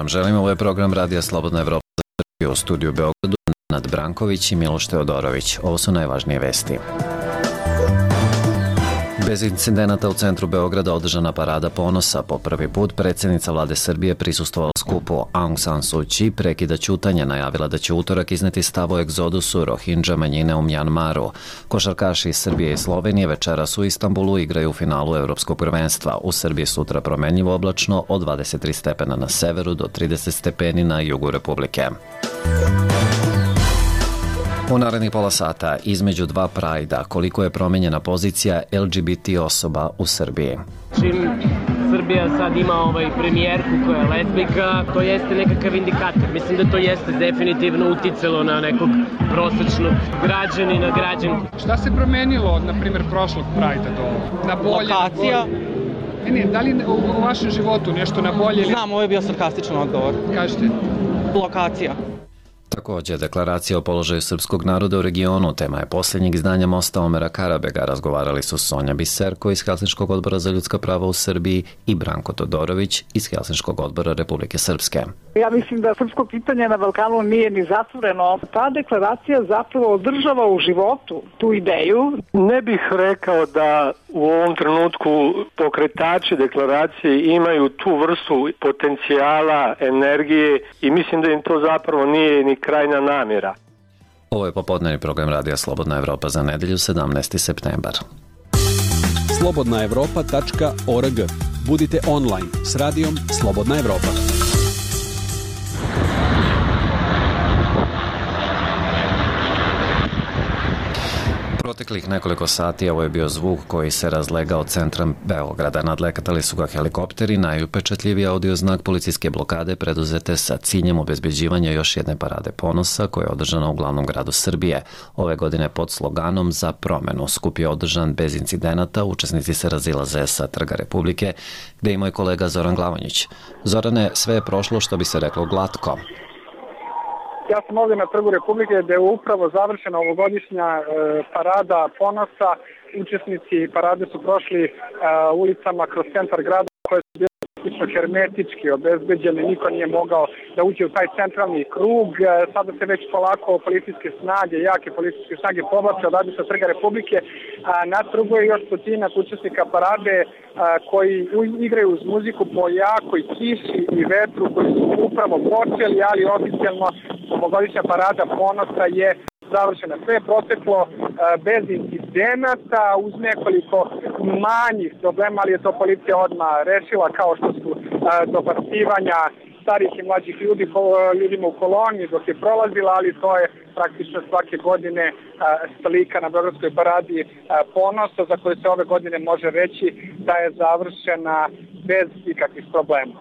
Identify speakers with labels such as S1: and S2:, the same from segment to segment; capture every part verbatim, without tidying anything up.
S1: vam želim. Ovo je program Radija Slobodna Evropa u studiju u Beogradu. Nad Branković i Miloš Teodorović. Ovo su najvažnije vesti. Bez incidenata u centru Beograda održana parada ponosa. Po prvi put predsjednica vlade Srbije prisustvovala skupu. Aung San Suu Kyi prekida ćutanje, najavila da će utorak izneti stav o egzodusu Rohingya manjine u Mjanmaru. Košarkaši iz Srbije i Slovenije večeras u Istanbulu igraju u finalu Evropskog prvenstva. U Srbiji sutra promenljivo oblačno od dvadeset tri stepena na severu do trideset stepeni na jugu Republike. U narednih pola sata između dva prajda koliko je promenjena pozicija L G B T osoba u Srbiji.
S2: Čim Srbija sad ima ovaj premijerku koja je lezbijka, to jeste nekakav indikator. Mislim da to jeste definitivno uticalo na nekog prosečnog građanina, građanku.
S3: Šta se promenilo od, na primjer, prošlog prajda do na bolje?
S4: Lokacija.
S3: Ne, ne, da li u, u vašem životu nešto na bolje?
S4: Znam, ovo je bio sarkastičan odgovor.
S3: Kažete?
S4: Lokacija.
S1: Također, deklaracija o položaju srpskog naroda u regionu tema je posljednjeg izdanja Mosta Omera Karabega. Razgovarali su Sonja Biserko iz Helsinškog odbora za ljudska prava u Srbiji i Branko Todorović iz Helsinškog odbora Republike Srpske.
S5: Ja mislim da srpsko pitanje na Balkanu nije ni zatvoreno. Ta deklaracija zapravo održava u životu tu ideju.
S6: Ne bih rekao da u ovom trenutku pokretači deklaracije imaju tu vrstu potencijala, energije i mislim da im to zapravo nije ni krajna namjera.
S1: Ovo je popodnevni program Radija Slobodna Evropa za nedelju sedamnaesti septembar.
S7: slobodna evropa tačka org. Budite online s radijom Slobodna Evropa.
S1: Proteklih nekoliko sati ovo je bio zvuk koji se razlegao centrom Beograda. Nadlekatali su ga helikopteri, najupečatljiviji audio znak policijske blokade preduzete sa ciljem obezbeđivanja još jedne parade ponosa koja je održana u glavnom gradu Srbije. Ove godine pod sloganom Za promenu. Skup je održan bez incidenata, učesnici se razilaze sa Trga Republike, gde je moj kolega Zoran Glavonjić. Zorane, sve je prošlo što bi se reklo glatko.
S5: Ja sam ovdje na Trgu Republike gdje je upravo završena ovogodišnja e, parada ponosa. Učesnici parade su prošli e, ulicama kroz centar grada koje su bile praktično hermetički obezbeđene. Niko nije mogao da uđe u taj centralni krug. E, sada se već polako policijske snage, jake policijske snage povlače odavde sa Trga Republike. A, na trgu je još stotinak učesnika parade a, koji igraju uz muziku po jakoj kiši i vetru koji su upravo počeli, ali oficijalno ovogodišnja parada ponosa je završena. Sve je proteklo uh, bez incidenata, uz nekoliko manjih problema, ali je to policija odmah rešila, kao što su uh, dobacivanja starih i mlađih ljudi, ljudima u koloni dok je prolazila, ali to je praktično svake godine uh, slika na Beogradskoj paradi uh, ponosa, za koju se ove godine može reći da je završena bez ikakvih problema.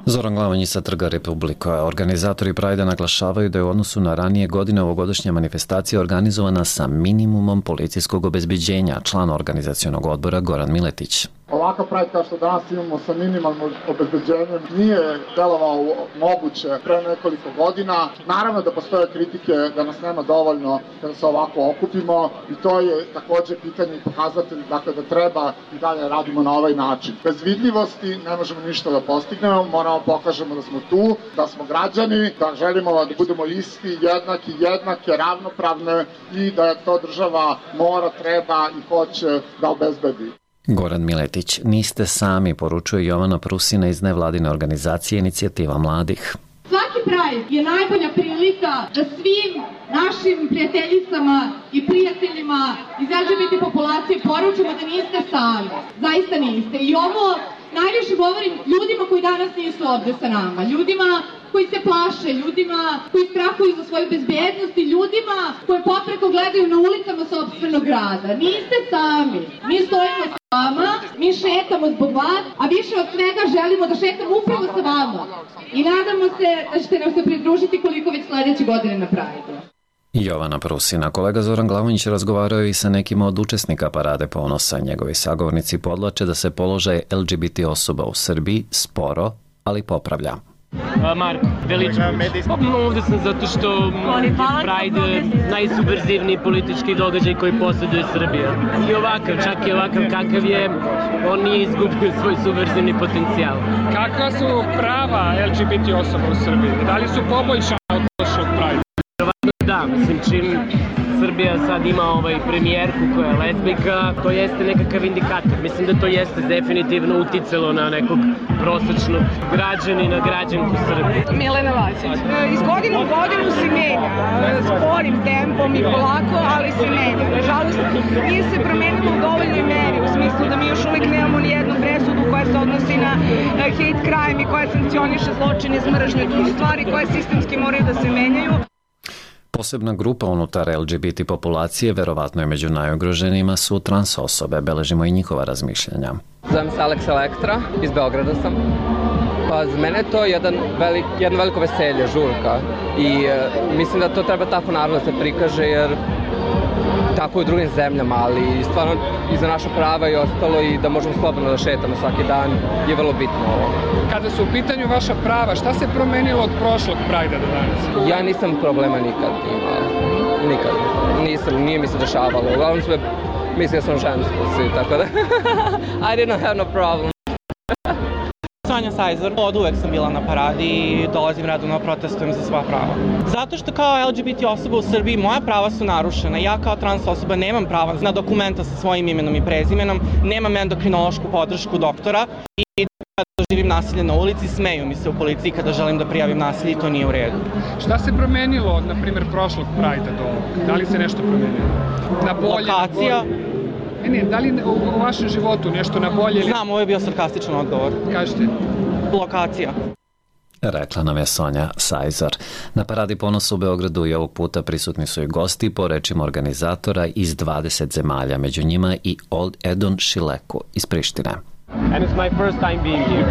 S1: Zoran Glavonjić sa Trga Republika. Organizatori Prajda naglašavaju da je u odnosu na ranije godine ovogodišnja manifestacija organizovana sa minimumom policijskog obezbeđenja. Član organizacionog odbora Goran Miletić.
S8: Ovakav Pride kao što danas imamo sa minimalnom obezbeđenjem nije delovao moguće pre nekoliko godina. Naravno da postoje kritike da nas nema dovoljno kada se ovako okupimo i to je također pitanje i pokazatelj dakle, da treba i dalje radimo na ovaj način. Bez vidljivosti ne možemo ništa da postignemo, moramo pokažemo da smo tu, da smo građani, da želimo da budemo isti, jednaki, jednake, ravnopravne i da to država mora, treba i hoće da obezbedi.
S1: Goran Miletić, niste sami, poručuje Jovana Prusina iz nevladine organizacije Inicijativa mladih.
S9: Svaki Pride je najbolja prilika da svim našim prijateljicama i prijateljima iz L G B T populacije poručimo da niste sami. Zaista niste. I ovo najviše govorim ljudima koji danas nisu ovde sa nama. Ljudima koji se plaše, ljudima koji strahuju za svoju bezbednost i ljudima koji popreko gledaju na ulicama sopstvenog grada. Niste sami. Mi stojimo sa vama, mi šetamo zbog vas, a više od svega želimo da šetamo upravo sa vama. I nadamo se da ćete nam se pridružiti koliko već sledeće godine na Prajdu.
S1: Jovana Prusina. Kolega Zoran Glavonjić razgovarao i sa nekima od učesnika parade ponosa. Njegovi sagovornici podlače da se položaj L G B T osoba u Srbiji sporo, ali popravlja.
S2: Marko Veličković. Ovdje sam zato što je Pride najsubverzivniji politički događaj koji posjeduje Srbija. I ovakav, čak i ovakav kakav je, on nije izgubio svoj subverzivni potencijal.
S3: Kakva su prava L G B T osoba u Srbiji? Da li su poboljšana od prošlog Prajda?
S2: Da, mislim, čim Srbija sad ima ovaj premijerku koja je lezbijka, to jeste nekakav indikator. Mislim da to jeste definitivno uticalo na nekog prosečnog građanina, građanku Srbije.
S10: Milena Vacić. Iz godine u godinu se menja, sporim tempom i polako, ali se menja. Nažalost, nije se promenilo u dovoljnoj meri, u smislu da mi još uvijek nemamo ni jednu presudu koja se odnosi na hate crime i koja sankcioniše zločine iz mržnje. To su stvari koje sistemski moraju da se menjaju.
S1: Posebna grupa unutar L G B T populacije, verovatno je među najugroženijima, su trans osobe. Beležimo i njihova razmišljanja.
S11: Zovem se Alex Elektra, iz Beograda sam. Pa za mene je to jedan velik, jedno veliko veselje, žurka. I e, mislim da to treba tako naravno da se prikaže, jer tako je u drugim zemljama, ali stvarno i za naša prava i ostalo i da možemo slobodno da šetamo svaki dan je vrlo bitno ovo.
S3: Kada su u pitanju vaša prava, šta se promenilo od prošlog Prajda do danas?
S11: Ja nisam problema nikad imao. Nikad. Nisam, nije mi se dešavalo. Uglavnom sve mislio sam žensko svi, tako da I didn't have no problem.
S4: Sonja Sajzer, od uvek sam bila na paradi i dolazim redovno, protestujem za svoja prava. Zato što kao L G B T osoba u Srbiji moja prava su narušena. Ja kao trans osoba nemam prava na dokumenta sa svojim imenom i prezimenom, nemam endokrinološku podršku doktora i kada živim nasilje na ulici, smeju mi se u policiji kada želim da prijavim nasilje i to nije u redu.
S3: Šta se promenilo od, na primjer, prošlog Prajda do ovog? Da li se nešto promenilo? Na bolje?
S4: Lokacija.
S3: Ne, ne, da li u, u vašem životu nešto na bolje?
S4: Znam, ovo je bio sarkastičan odgovor.
S3: Kažete?
S4: Lokacija.
S1: Rekla nam je Sonja Sajzer. Na Paradi ponosa u Beogradu i ovog puta prisutni su i gosti, po rečima organizatora, iz dvadeset zemalja, među njima i Edon Šileku iz Prištine.
S2: And it's my first time being here.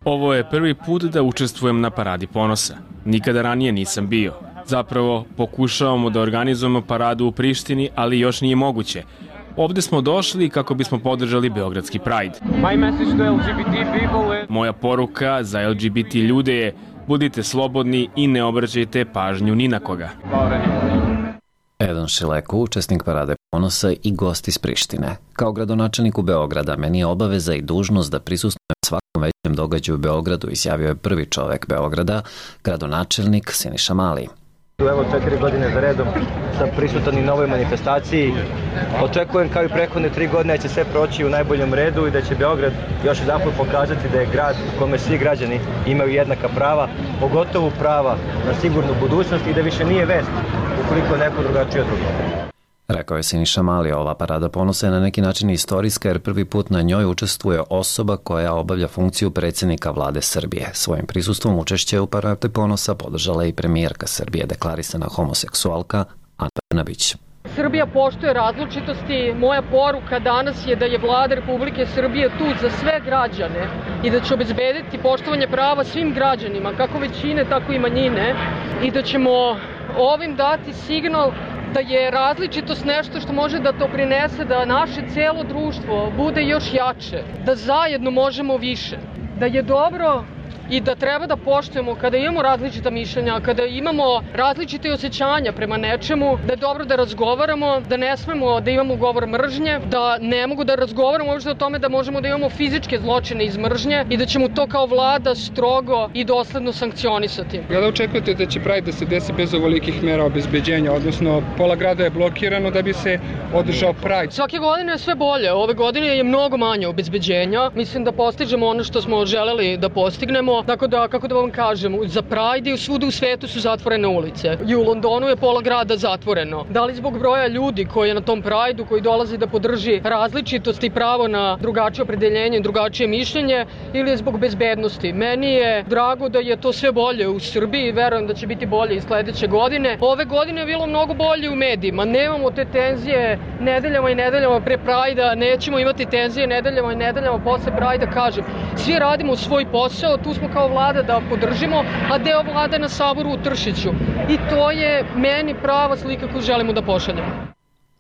S12: Ovo je prvi put da učestvujem na Paradi ponosa. Nikada ranije nisam bio. Zapravo, pokušavamo da organizujemo paradu u Prištini, ali još nije moguće. Ovde smo došli kako bismo podržali Beogradski Pride.
S2: My message to L G B T people is...
S12: Moja poruka za L G B T ljude je: budite slobodni i ne obraćajte pažnju ni na koga.
S1: Edon Šileku, učesnik Parade ponosa i gost iz Prištine. Kao gradonačelniku Beograda, meni je obaveza i dužnost da prisustvujem svakom većem događaju u Beogradu, izjavio je prvi čovek Beograda, gradonačelnik Siniša Mali.
S13: Evo četiri godine za redom sam prisutan i na ovoj manifestaciji. Očekujem kao i prethodne tri godine da će sve proći u najboljem redu i da će Beograd još jedanput pokazati da je grad u kome svi građani imaju jednaka prava, pogotovo prava na sigurnu budućnost i da više nije vest ukoliko neko drugačije od drugog.
S1: Rekao je Siniša Mali, ova Parada ponosa je na neki način istorijska jer prvi put na njoj učestvuje osoba koja obavlja funkciju predsjednika vlade Srbije. Svojim prisustvom učešće u Paradi ponosa podržala i premijerka Srbije, deklarisana homoseksualka Ana Brnabić.
S14: Srbija poštuje različitosti. Moja poruka danas je da je vlada Republike Srbije tu za sve građane i da će obezbediti poštovanje prava svim građanima, kako većine, tako i manjine, i da ćemo ovim dati signal da je različitost nešto što može da doprinese da naše celo društvo bude još jače, da zajedno možemo više, da je dobro i da treba da poštujemo kada imamo različita mišljenja, kada imamo različite osjećanja prema nečemu, da je dobro da razgovaramo, da ne smemo da imamo govor mržnje, da ne mogu da razgovaramo uopšte o tome da možemo da imamo fizičke zločine iz mržnje i da ćemo to kao vlada strogo i dosledno sankcionisati.
S3: Kada očekujete da će Pride da se desi bez ovolikih mera obezbeđenja, odnosno pola grada je blokirano da bi se održao Pride?
S14: Svake godine je sve bolje, ove godine je mnogo manje obezbeđenja, mislim da postižemo ono što smo želeli da postignemo. Tako da, kako da vam kažem, za Pride i svuda u svetu su zatvorene ulice. I u Londonu je pola grada zatvoreno. Da li zbog broja ljudi koji je na tom Prideu, koji dolazi da podrži različitost i pravo na drugačije opredeljenje i drugačije mišljenje, ili je zbog bezbednosti? Meni je drago da je to sve bolje u Srbiji, verujem da će biti bolje i sledeće godine. Ove godine je bilo mnogo bolje u medijima. Nemamo te tenzije nedeljama i nedeljama pre Pridea, nećemo imati tenzije nedeljama i nedeljama posle Pridea, kažem. Svi radimo svoj posao, tu smo kao vlada da podržimo, a deo vlade na Saboru u Tršiću. I to je meni prava slika koju želimo da pošaljemo.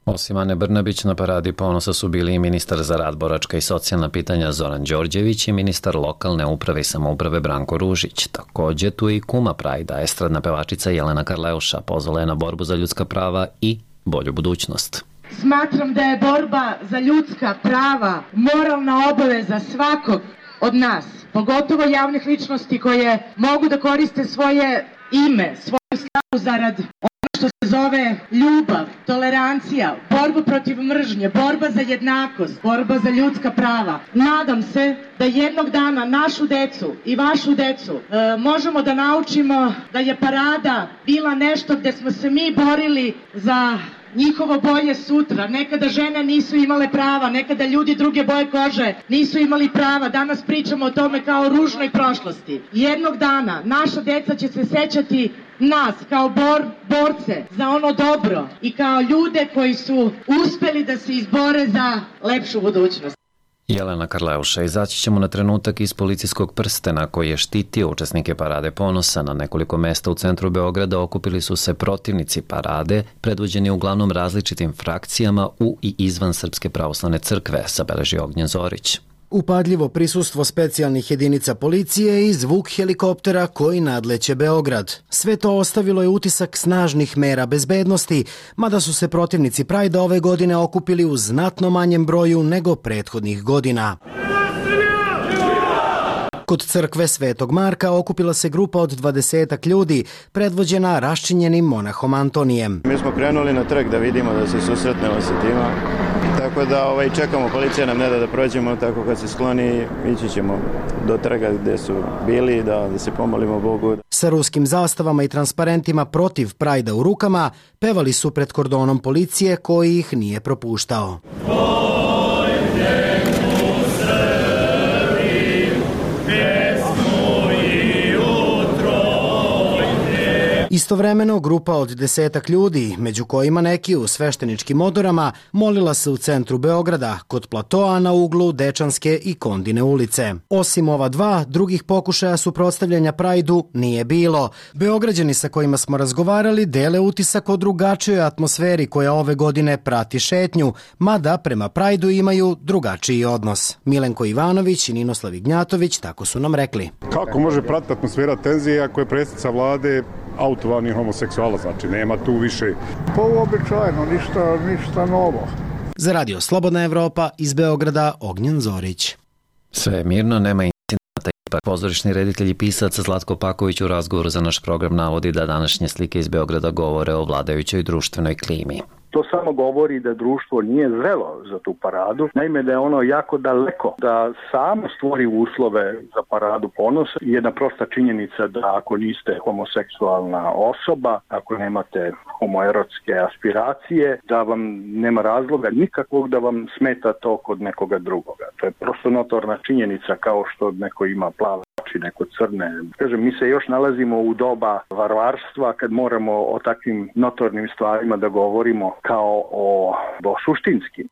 S1: Osim Ane Brnabić, na Paradi ponosa su bili i ministar za rad, boračka i socijalna pitanja Zoran Đorđević i ministar lokalne uprave i samouprave Branko Ružić. Takođe tu je i kuma Prajda, estradna pevačica Jelena Karleuša, pozvala je na borbu za ljudska prava i bolju budućnost.
S15: Smatram da je borba za ljudska prava moralna obaveza svakog od nas, pogotovo javnih ličnosti koje mogu da koriste svoje ime, svoju slavu zarad ono što se zove ljubav, tolerancija, borba protiv mržnje, borba za jednakost, borba za ljudska prava. Nadam se da jednog dana našu decu i vašu decu e, možemo da naučimo da je parada bila nešto gde smo se mi borili za njihovo bolje sutra. Nekada žene nisu imale prava, nekada ljudi druge boje kože nisu imali prava. Danas pričamo o tome kao o ružnoj prošlosti. Jednog dana naša deca će se sećati nas kao bor, borce za ono dobro i kao ljude koji su uspeli da se izbore za lepšu budućnost.
S1: Jelena Karleuša, izaći ćemo na trenutak iz policijskog prstena koji je štitio učesnike Parade ponosa. Na nekoliko mesta u centru Beograda okupili su se protivnici parade, predvođeni uglavnom različitim frakcijama u i izvan Srpske pravoslavne crkve, sabeleži Ognjen Zorić.
S16: Upadljivo prisustvo specijalnih jedinica policije i zvuk helikoptera koji nadleće Beograd. Sve to ostavilo je utisak snažnih mera bezbednosti, mada su se protivnici Prajda ove godine okupili u znatno manjem broju nego prethodnih godina. Kod crkve Svetog Marka okupila se grupa od dvadesetak ljudi, predvođena raščinjenim monahom Antonijem.
S17: Mi smo krenuli na trg da vidimo, da se susretnemo sa tima, tako da ovaj, čekamo, policija nam ne da da prođemo, tako kad se skloni ići ćemo do trga gde su bili, da, da se pomolimo Bogu.
S16: Sa ruskim zastavama i transparentima protiv Prajda u rukama pevali su pred kordonom policije koji ih nije propuštao. Istovremeno, grupa od desetak ljudi, među kojima neki u svešteničkim odorama, molila se u centru Beograda, kod platoa na uglu Dečanske i Kondine ulice. Osim ova dva, drugih pokušaja suprotstavljanja Prajdu nije bilo. Beograđani sa kojima smo razgovarali dele utisak o drugačijoj atmosferi koja ove godine prati šetnju, mada prema Prajdu imaju drugačiji odnos. Milenko Ivanović i Ninoslav Ignjatović tako su nam rekli.
S18: Kako može pratiti atmosfera tenzije ako je predsjednica vlade autovani homoseksuala, znači nema tu više.
S19: Pa uobičajeno, ništa, ništa novo.
S16: Za Radio Slobodna Evropa iz Beograda, Ognjen Zorić.
S1: Sve je mirno, nema incidenata. Ipak pozorišni reditelj i pisac Zlatko Paković u razgovoru za naš program navodi da današnje slike iz Beograda govore o vladajućoj društvenoj klimi.
S20: To samo govori da društvo nije zrelo za tu paradu, naime da je ono jako daleko da samo stvori uslove za paradu ponosa. Jedna prosta činjenica da ako niste homoseksualna osoba, ako nemate homoerotske aspiracije, da vam nema razloga nikakvog da vam smeta to kod nekoga drugoga. To je prosto notorna činjenica, kao što neko ima plave oči, neko crne. Kažem, mi se još nalazimo u doba varvarstva kad moramo o takvim notornim stvarima da govorimo kao o, o suštinskim.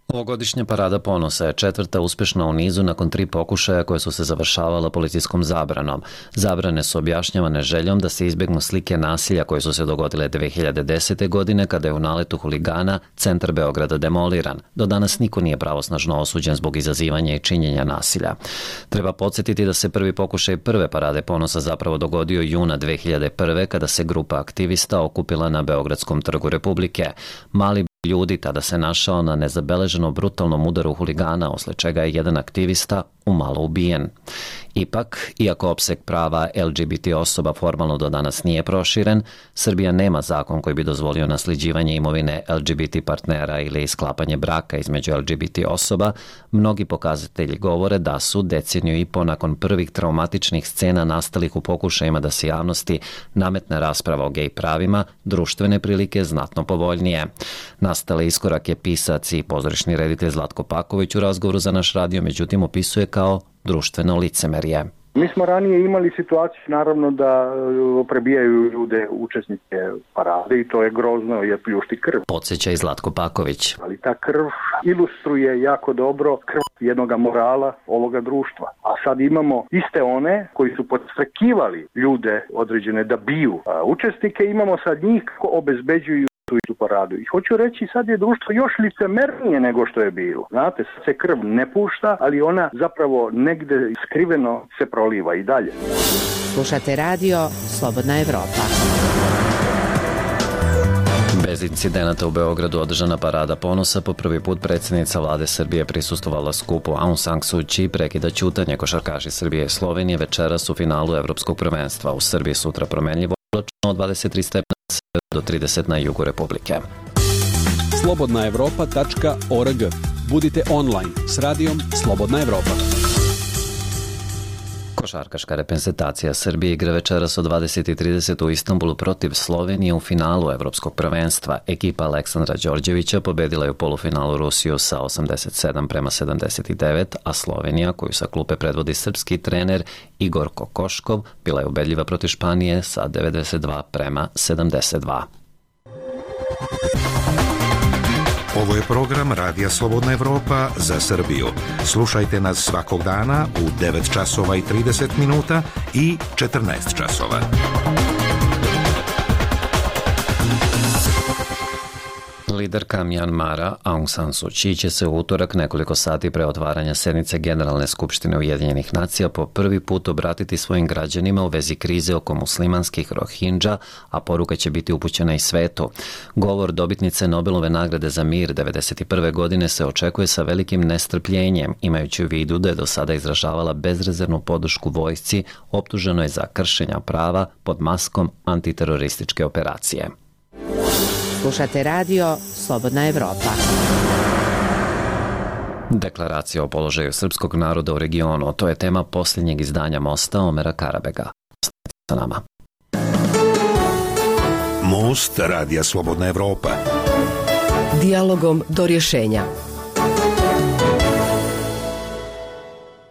S1: Ovogodišnja Parada ponosa je četvrta uspešna u nizu nakon tri pokušaja koje su se završavala policijskom zabranom. Zabrane su objašnjavane željom da se izbegnu slike nasilja koje su se dogodile dve hiljade desete. godine kada je u naletu huligana centar Beograda demoliran. Do danas niko nije pravosnažno osuđen zbog izazivanja i činjenja nasilja. Treba podsjetiti da se prvi pokušaj prve Parade ponosa zapravo dogodio juna dve hiljade prve. kada se grupa aktivista okupila na Beogradskom trgu Republike. Mali ljudi tada se našao na nezabeleženo brutalnom udaru huligana, usled čega je jedan aktivista umalo ubijen. Ipak, iako opseg prava L G B T osoba formalno do danas nije proširen, Srbija nema zakon koji bi dozvolio nasljeđivanje imovine L G B T partnera ili sklapanje braka između L G B T osoba. Mnogi pokazatelji govore da su deceniju i po nakon prvih traumatičnih scena nastalih u pokušajima da se javnosti nametne rasprava o gej pravima, društvene prilike znatno povoljnije. Nastale iskorak je pisac i pozorišni reditelj Zlatko Paković u razgovoru za naš radio, međutim opisuje kao društveno licemerje.
S20: Mi smo ranije imali situaciju naravno da prebijaju ljude učesnike parade i to je grozno, je pljušti krv.
S1: Podsjeća i Zlatko Paković.
S20: Ali ta krv ilustruje jako dobro krv jednog morala ovoga društva. A sad imamo iste one koji su podstrekivali ljude određene da biju učesnike, imamo sad njih kako obezbeđuju tu i tu paradu. I hoću reći, sad je društvo još licemernije nego što je bilo. Znate, sad se krv ne pušta, ali ona zapravo negde skriveno se proliva i dalje.
S21: Slušate radio Slobodna Evropa.
S1: Bez incidenata u Beogradu održana parada ponosa. Po prvi put predsjednica vlade Srbije prisustvovala skupu Aung San Suu Kyi, prekida ćutanje. Košarkaši Srbije i Slovenije večeras u finalu evropskog prvenstva. U Srbiji sutra promenljivo oblačno od dvadeset tri stepena do trideset na jugu Republike.
S7: slobodna evropa tačka org. Budite online s radijom Slobodna Evropa.
S1: Košarkaška reprezentacija Srbije igra večeras od dvadeset i trideset u Istanbulu protiv Slovenije u finalu evropskog prvenstva. Ekipa Aleksandra Đorđevića pobedila je u polufinalu Rusiju sa osamdeset sedam prema sedamdeset devet, a Slovenija, koju sa klupe predvodi srpski trener Igor Kokoškov, bila je ubedljiva protiv Španije sa devedeset dva prema sedamdeset dva.
S21: Ovo je program Radija Slobodna Evropa za Srbiju. Slušajte nas svakog dana u devet časova i trideset minuta i četrnaest časova.
S1: Liderka Mjanmara Aung San Suu Kyi će se u utorak nekoliko sati pre otvaranja sednice Generalne skupštine Ujedinjenih nacija po prvi put obratiti svojim građanima u vezi krize oko muslimanskih Rohingya, a poruka će biti upućena i svetu. Govor dobitnice Nobelove nagrade za mir devedeset prve godine se očekuje sa velikim nestrpljenjem, imajući u vidu da je do sada izražavala bezrezervnu podršku vojsci optuženoj za kršenja prava pod maskom antiterorističke operacije.
S22: Slušate radio Slobodna Evropa.
S1: Deklaracija o položaju srpskog naroda u regionu, to je tema posljednjeg izdanja Mosta Omera Karabega. Ostanite sa nama.
S21: Most Radija Slobodna Evropa.
S22: Dijalogom do rješenja.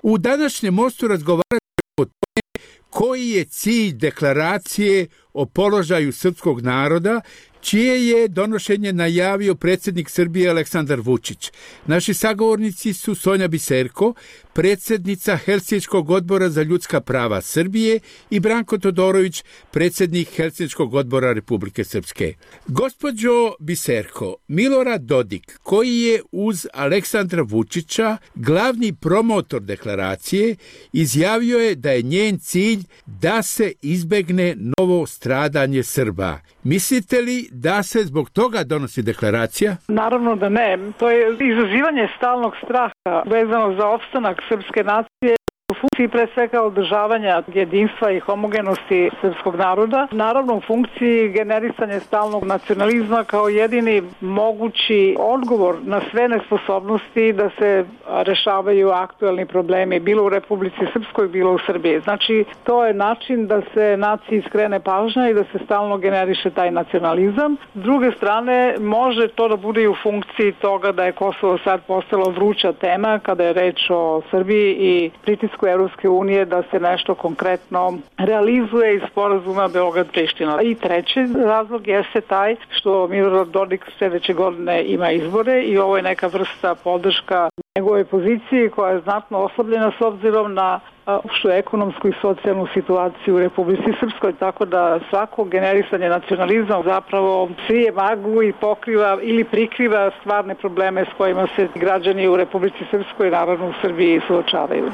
S23: U današnjem Mostu razgovaramo o tome koji je cilj deklaracije o položaju srpskog naroda, čije je donošenje najavio predsjednik Srbije Aleksandar Vučić. Naši sagovornici su Sonja Biserko, predsjednica Helsinškog odbora za ljudska prava Srbije, i Branko Todorović, predsjednik Helsinškog odbora Republike Srpske. Gospođo Biserko, Milorad Dodik, koji je uz Aleksandra Vučića glavni promotor deklaracije, izjavio je da je njen cilj da se izbegne novo stradanje Srba. Mislite li da se zbog toga donosi deklaracija?
S24: Naravno da ne. To je izazivanje stalnog straha vezano za opstanak srpske nacije u funkciji pre svega održavanja jedinstva i homogenosti srpskog naroda. Naravno u funkciji generisanja stalnog nacionalizma kao jedini mogući odgovor na sve nesposobnosti da se rešavaju aktuelni problemi bilo u Republici Srpskoj, bilo u Srbiji. Znači to je način da se naciji skrene pažnja i da se stalno generiše taj nacionalizam. S druge strane može to da bude i u funkciji toga da je Kosovo sad postalo vruća tema kada je reč o Srbiji i pritisku Evropske unije da se nešto konkretno realizuje iz sporazuma Beograd-Priština. I treći razlog jeste taj što Milorad Dodik sljedeće godine ima izbore i ovo je neka vrsta podrška njegove poziciji koja je znatno oslabljena s obzirom na opštu ekonomsku i socijalnu situaciju u Republici Srpskoj, tako da svako generisanje nacionalizma zapravo sije maglu i pokriva ili prikriva stvarne probleme s kojima se građani u Republici Srpskoj i naravno u Srbiji suočavaju.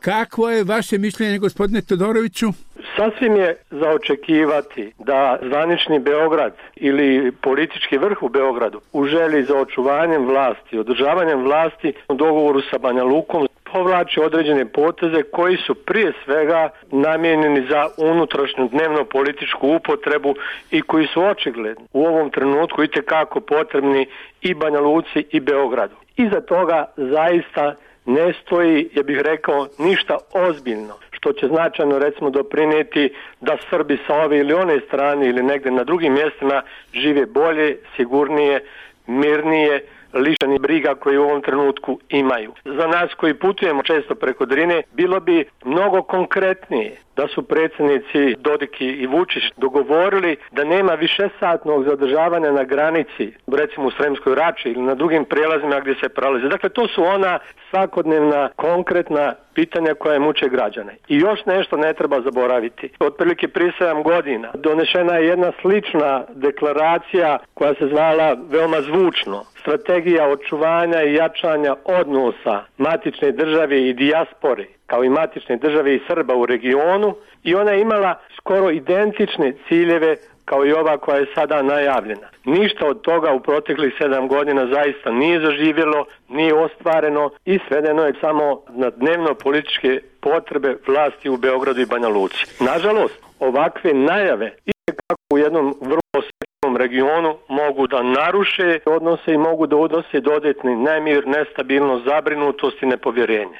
S23: Kakvo je vaše mišljenje, gospodine Todoroviću?
S6: Sasvim je za očekivati da zvanični Beograd ili politički vrh u Beogradu u želji za očuvanjem vlasti, održavanjem vlasti u dogovoru sa Banja Lukom povlači određene poteze koji su prije svega namijenjeni za unutrašnju dnevno političku upotrebu i koji su očigledni u ovom trenutku itekako potrebni i Banja Luci i Beogradu. Iza toga zaista ne stoji, ja bih rekao, ništa ozbiljno, što će značajno recimo doprinijeti da Srbi sa ove ili one strane ili negdje na drugim mjestima žive bolje, sigurnije, mirnije, lišeni briga koji u ovom trenutku imaju. Za nas koji putujemo često preko Drine, bilo bi mnogo konkretnije da su predsjednici Dodik i Vučić dogovorili da nema višesatnog zadržavanja na granici, recimo u Sremskoj Rači ili na drugim prijelazima gdje se prelaze. Dakle, to su ona svakodnevna, konkretna pitanja koja muče građane. I još nešto ne treba zaboraviti. Otprilike prije sedam godina donešena je jedna slična deklaracija koja se zvala veoma zvučno. Strategija očuvanja i jačanja odnosa matične države i dijaspore, kao i matične države i Srba u regionu, i ona je imala skoro identične ciljeve kao i ova koja je sada najavljena. Ništa od toga u proteklih sedam godina zaista nije zaživjelo, nije ostvareno i svedeno je samo na dnevno političke potrebe vlasti u Beogradu i Banja Luci. Nažalost, ovakve najave i kako u jednom vrlo osjetljivom regionu mogu da naruše odnose i mogu da udose dodatni nemir, nestabilnost, zabrinutost i nepovjerenje.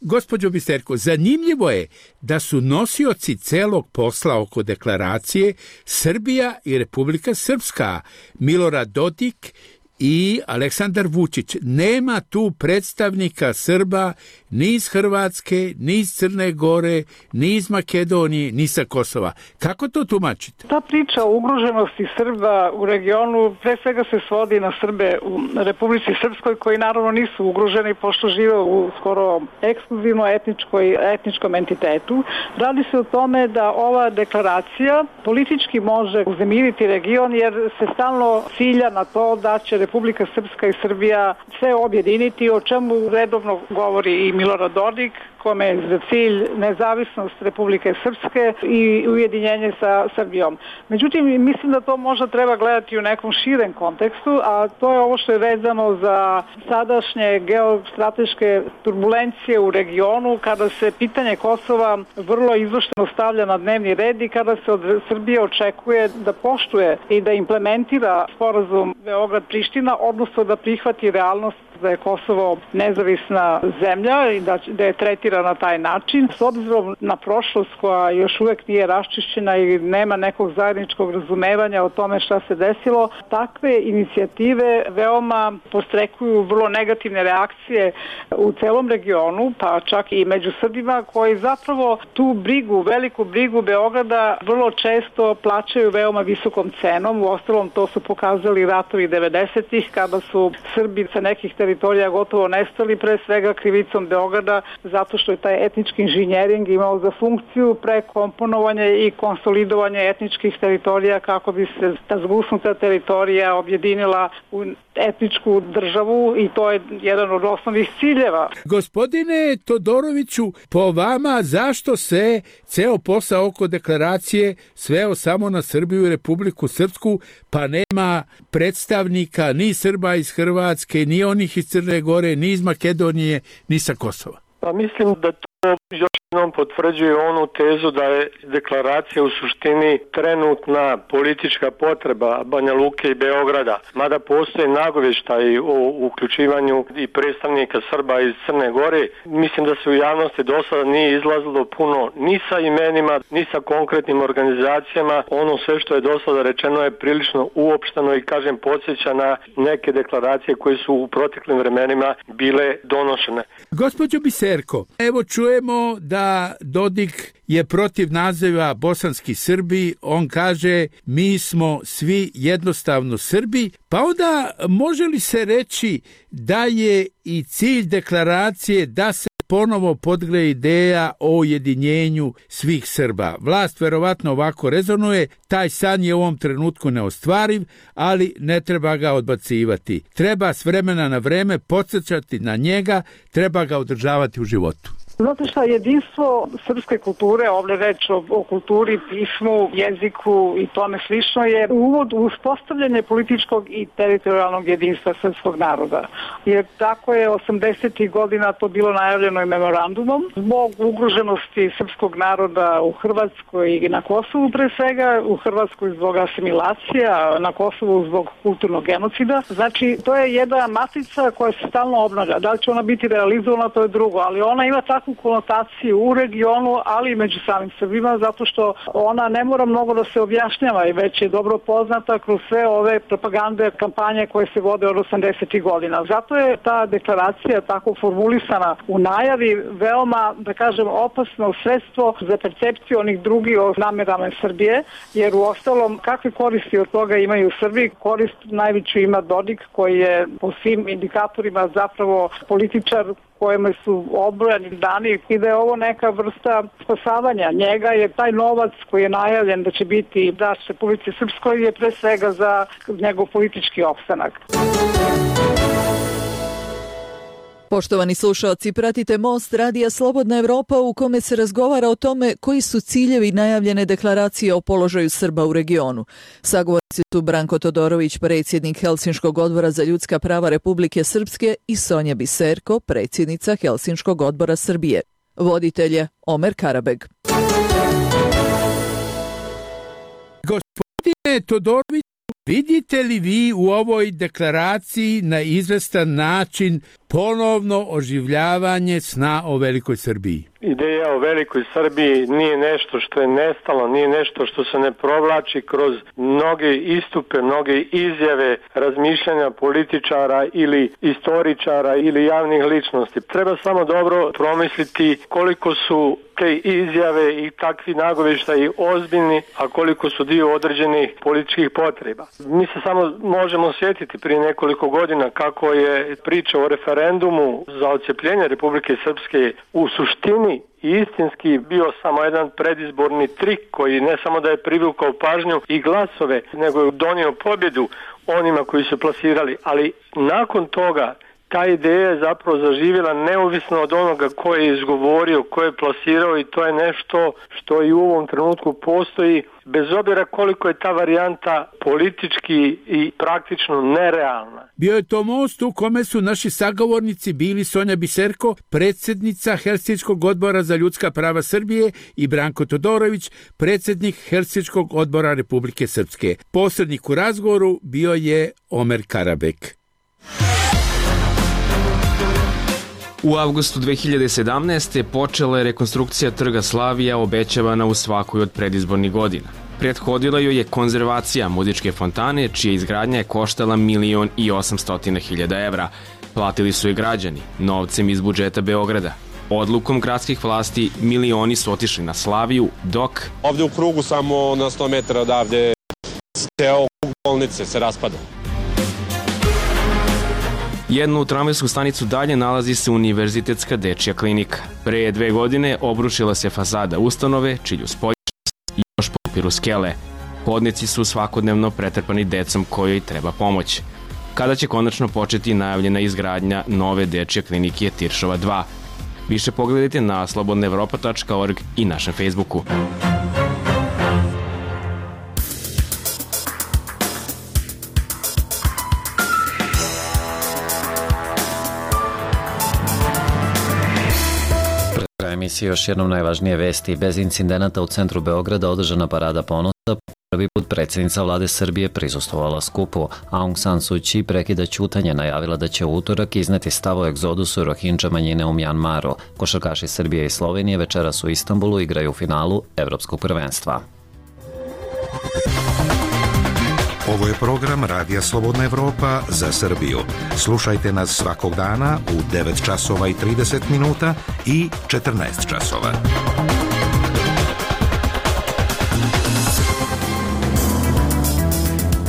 S23: Gospođo Biserko, zanimljivo je da su nosioci celog posla oko deklaracije Srbija i Republika Srpska, Milorad Dodik i Aleksandar Vučić. Nema tu predstavnika Srba ni iz Hrvatske, ni iz Crne Gore, ni iz Makedonije, ni sa Kosova. Kako to tumačite?
S24: Ta priča o ugroženosti Srba u regionu pre svega se svodi na Srbe u Republici Srpskoj, koji naravno nisu ugroženi pošto žive u skoro ekskluzivno etničkoj, etničkom entitetu. Radi se o tome da ova deklaracija politički može uzemiriti region jer se stalno cilja na to da će Republika Srpska i Srbija sve objediniti, o čemu redovno govori i Milorad Dodik, kome je za cilj nezavisnost Republike Srpske i ujedinjenje sa Srbijom. Međutim, mislim da to možda treba gledati u nekom širem kontekstu, a to je ovo što je vezano za sadašnje geostrateške turbulencije u regionu, kada se pitanje Kosova vrlo izvršteno stavlja na dnevni red i kada se od Srbije očekuje da poštuje i da implementira sporazum Beograd-Priština, odnosno da prihvati realnost da je Kosovo nezavisna zemlja i da, da je tretira na taj način. S obzirom na prošlost koja još uvek nije raščišćena i nema nekog zajedničkog razumevanja o tome šta se desilo, takve inicijative veoma postrekuju vrlo negativne reakcije u celom regionu, pa čak i među Srbima, koji zapravo tu brigu, veliku brigu Beograda vrlo često plaćaju veoma visokom cenom. Uostalom, to su pokazali ratovi devedesetih kada su Srbi sa nekih teritorija gotovo nestali, pre svega krivicom Beograda, zato što je taj etnički inženjering imao za funkciju prekomponovanje i konsolidovanje etničkih teritorija kako bi se ta zgusnuta teritorija objedinila u etničku državu i to je jedan od osnovnih ciljeva.
S23: Gospodine Todoroviću, po vama zašto se ceo posao oko deklaracije sveo samo na Srbiju i Republiku Srpsku, pa nema predstavnika ni Srba iz Hrvatske, ni onih iz Crne Gore, ni iz Makedonije, ni sa Kosova?
S6: Pa mislim da to još jednom potvrđuje onu tezu da je deklaracija u suštini trenutna politička potreba Banja Luke i Beograda. Mada postoje nagovještaji o uključivanju i predstavnika Srba iz Crne Gore, mislim da se u javnosti do sada nije izlazilo puno ni sa imenima, ni sa konkretnim organizacijama. Ono sve što je do sada rečeno je prilično uopšteno i kažem podsjeća na neke deklaracije koje su u proteklim vremenima bile donošene.
S23: Gospođo Biserko, evo čujemo da Dodik je protiv naziva bosanski Srbi, on kaže mi smo svi jednostavno Srbi, pa onda može li se reći da je i cilj deklaracije da se ponovo podgre ideja o ujedinjenju svih Srba? Vlast verovatno ovako rezonuje, taj san je u ovom trenutku neostvariv, ali ne treba ga odbacivati. Treba s vremena na vreme podsjećati na njega, treba ga održavati u životu.
S24: Znate šta, jedinstvo srpske kulture, ovdje reč o, o kulturi, pismu, jeziku i tome slično, je uvod u uspostavljanje političkog i teritorijalnog jedinstva srpskog naroda. Jer tako je osamdesetih godina to bilo najavljeno i memorandumom. Zbog ugroženosti srpskog naroda u Hrvatskoj i na Kosovu pre svega, u Hrvatskoj zbog asimilacija, na Kosovu zbog kulturnog genocida. Znači, to je jedna matrica koja se stalno obnavlja. Da li će ona biti realizovana, to je drugo, ali ona ima tako konotaciju u regionu, ali i među samim Srbima, zato što ona ne mora mnogo da se objašnjava i već je dobro poznata kroz sve ove propagande, kampanje koje se vode od osamdesetih godina. Zato je ta deklaracija tako formulisana u najavi veoma, da kažem, opasno sredstvo za percepciju onih drugih o namerama Srbije, jer u ostalom kakve koristi od toga imaju Srbi? Korist najveću ima Dodik, koji je po svim indikatorima zapravo političar kojima su obrojani dani i da je ovo neka vrsta spasavanja njega, jer taj novac koji je najavljen da će biti daš Republici Srpskoj je pre svega za njegov politički opstanak.
S5: Poštovani slušaoci, pratite Most radija Slobodna Evropa u kome se razgovara o tome koji su ciljevi najavljene deklaracije o položaju Srba u regionu. Sagovornici su Branko Todorović, predsjednik Helsinškog odbora za ljudska prava Republike Srpske, i Sonja Biserko, predsjednica Helsinškog odbora Srbije. Voditelj je Omer Karabeg.
S23: Gospodine Todorović, vidite li vi u ovoj deklaraciji na izvestan način ponovno oživljavanje sna o velikoj Srbiji?
S6: Ideja o velikoj Srbiji nije nešto što je nestalo, nije nešto što se ne provlači kroz mnoge istupe, mnoge izjave, razmišljanja političara ili istoričara ili javnih ličnosti. Treba samo dobro promisliti koliko su te izjave i takvi nagovještaji ozbiljni, a koliko su dio određenih političkih potreba. Mi se samo možemo sjetiti prije nekoliko godina kako je priča o referendumu za odcepljenje Republike Srpske u suštini i istinski bio samo jedan predizborni trik koji ne samo da je privukao pažnju i glasove, nego je donio pobjedu onima koji su plasirali, ali nakon toga ta ideja je zapravo zaživjela neovisno od onoga ko je izgovorio, ko je plasirao, i to je nešto što i u ovom trenutku postoji, bez obzira koliko je ta varijanta politički i praktično nerealna.
S23: Bio je to most u kome su naši sagovornici bili Sonja Biserko, predsjednica Helsinškog odbora za ljudska prava Srbije, i Branko Todorović, predsjednik Helsinškog odbora Republike Srpske. Posrednik u razgovoru bio je Omer Karabeg.
S12: U avgustu dve hiljade sedamnaeste. počela je rekonstrukcija Trga Slavija, obećavana u svakoj od predizbornih godina. Prethodila joj je konzervacija muzičke fontane, čija izgradnja je koštala milion i osamstotina hiljada evra. Platili su je građani, novcem iz budžeta Beograda. Odlukom gradskih vlasti milioni su otišli na Slaviju, dok...
S8: Ovde u krugu, samo na sto metara odavde, ceo bolnice se raspada.
S12: Jednu tramvajsku stanicu dalje nalazi se Univerzitetska dečija klinika. Pre dve godine obrušila se fasada ustanove, čilju spoljačnost i još popiru skele. Hodnici su svakodnevno pretrpani decom kojoj treba pomoć. Kada će konačno početi najavljena izgradnja nove dečje klinike Tiršova dva? Više pogledajte na slobodna evropa tačka org i našem Facebooku.
S1: Emisije još jednom najvažnije vesti. Bez incidenata u centru Beograda održana parada ponosa. Prvi put predsjednica vlade Srbije prisustvovala skupu. Aung San Suu Kyi prekida ćutanje, najavila da će u utorak izneti stav o egzodusu Rohingya manjine u Mjanmaru. Košarkaši Srbije i Slovenije večeras u Istanbulu igraju u finalu Evropskog prvenstva.
S21: Ovo je program Radija Slobodna Evropa za Srbiju. Slušajte nas svakog dana u devet časova i trideset minuta i četrnaest časova.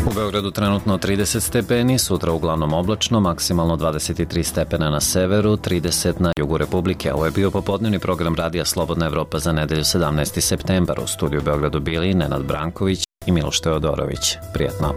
S1: U Beogradu trenutno trideset stepeni, sutra uglavnom oblačno, maksimalno dvadeset tri stepena na severu, trideset na jugu Republike. Ovo je bio popodnevni program Radija Slobodna Evropa za nedelju sedamnaesti septembar. U studiju Beogradu bili Nenad Branković i Miloš Teodorović. Prijetno.